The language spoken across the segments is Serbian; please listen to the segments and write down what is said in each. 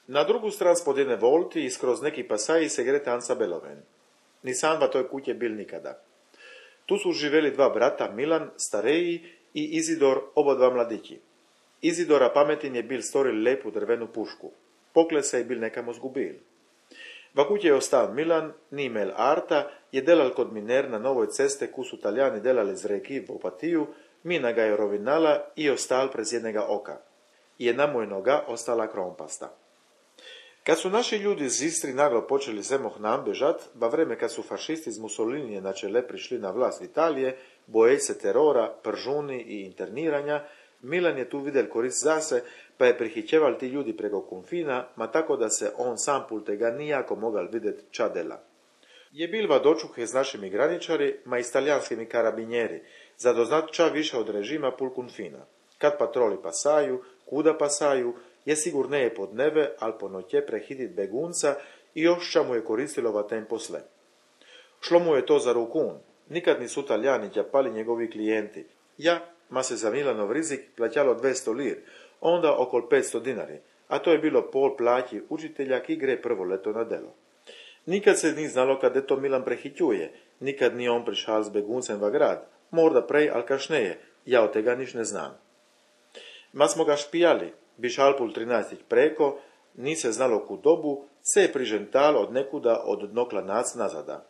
Na drugu stran spod jedne volti i skroz neki pasaji se gre tanca beloven. Ni sam v toj kutje bil nikada. Tu su živeli dva brata, Milan, stareji, i Izidor, oba dva mladići. Izidora pametin je bil storil lepu drvenu pušku. Pokle se je bil nekamo zgubil. V kutje je ostal Milan, ni imel arta, je delal kod miner na novoj ceste, ku su Talijani delali z reki v Opatiju, mina ga je rovinala i ostal prez jednega oka. Jedna mu je noga ostala krompasta. Kad su naši ljudi iz Istri naglo počeli zemoh nam bežat, va vreme kad su fašisti iz Mussolinije na čele prišli na vlast Italije, bojeći se terora, pržuni i interniranja, Milan je tu vidjel korist zase, pa je prihićeval ti ljudi preko konfina, ma tako da se on sam pul tega nijako mogal vidjet ča dela. Je bil va dočuhe s našimi graničari, ma i s talijanskimi karabinjeri, za doznat ča više od režima pul konfina. Kad patroli pasaju, kuda pasaju, je sigurne je pod neve, al po noće prehidit begunca i još ča mu je koristilo va tem posle. Šlo mu je to za rukun, nikad nisu Talijani ťapali njegovi klijenti. Ja, ma se za Milanov rizik plaćalo 200 lir, onda okol 500 dinari, a to je bilo pol plaći učitelja ki gre prvo leto na delo. Nikad se ni znalo kade to Milan prehićuje, nikad ni on prišal s beguncem va grad, morda prej, al kašneje, ja od tega niš ne znam. Ma smo ga špijali, bi šalpul 13 preko, ni se znalo ku dobu, se je prižental od nekuda od dnokla nac nazada.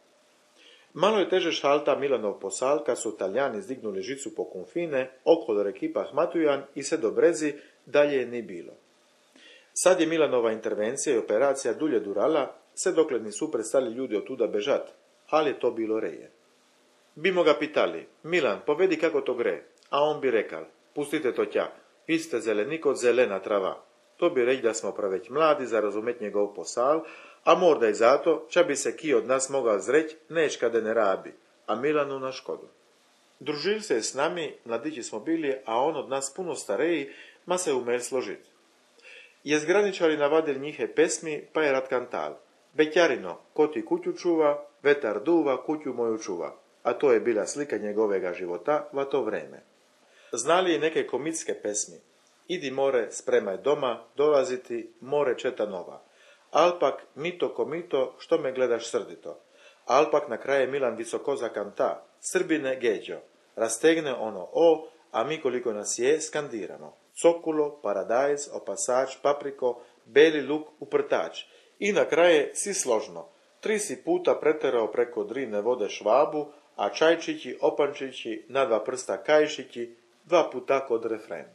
Malo je teže šalta Milanov posal, kad su Talijani zdignuli žicu po konfine, okolo rekipa Hmatujan i se do Brezi, dalje je ni bilo. Sad je Milanova intervencija i operacija dulje durala, se dokle nisu prestali ljudi od tuda bežat, ali je to bilo reje. Bimo ga pitali, Milan, povedi kako to gre, a on bi rekal, pustite to tja, vi ste zelenik od zelena trava. To bi reći da smo praveć mladi za razumet njegov posal, a morda i zato, ča bi se ki od nas mogao zreć, neć kade ne rabi, a Milanu na škodu. Družil se je s nami, mladići smo bili, a on od nas puno stareji, ma se umel složit. Je zgraničari navadil njihe pesmi, pa je rad kantal. Bećarino, ko ti kuću čuva, vetar duva, kuću moju čuva. A to je bila slika njegovega života va to vreme. Znali i neke komitske pesmi. Idi more, spremaj doma, dolaziti, more četa nova. Alpak, mito komito, što me gledaš srdito. Alpak na kraje Milan visoko zakanta. Srbine geđo. Rastegne ono o, a mi koliko nas je, skandiramo. Cokulo, paradajz, opasač, papriko, beli luk, uprtač. I na kraje si složno. 3 si puta preterao preko Drine vode Švabu, a čajčići, opančići, na 2 prsta kajšići, 2 puta kod refren.